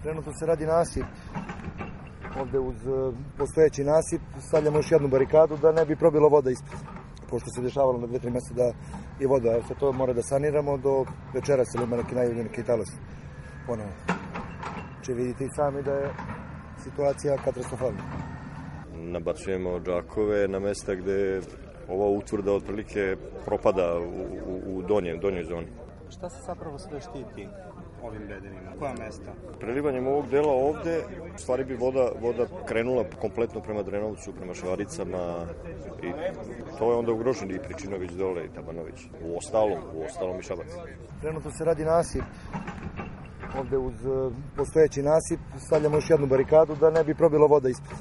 Trenutno se radi nasip. Ovde uz postojeći nasip stavljamo još jednu barikadu da ne bi probilo voda ispred. Pošto se dešavalo na 2-3 mesta da je voda, evo to mora da saniramo do večeras ili ima neki najavljen neki talas ponovo. Če vidite i sami da je situacija katastrofalna. Nabacujemo džakove na mesta gde ova utvrda otprilike propada u donjoj zoni. Šta se zapravo sve štiti ovim ledinima? Koja mesta? Prelivanjem ovog dela ovde, u stvari bi voda krenula kompletno prema Drenovcu, prema Švaricama i to je onda ugroženo i Pričinović dole i Tabanović. U ostalom i Šabac. Trenutno se radi nasip. Ovde uz postojeći nasip stavljamo još jednu barikadu da ne bi probilo voda ispred.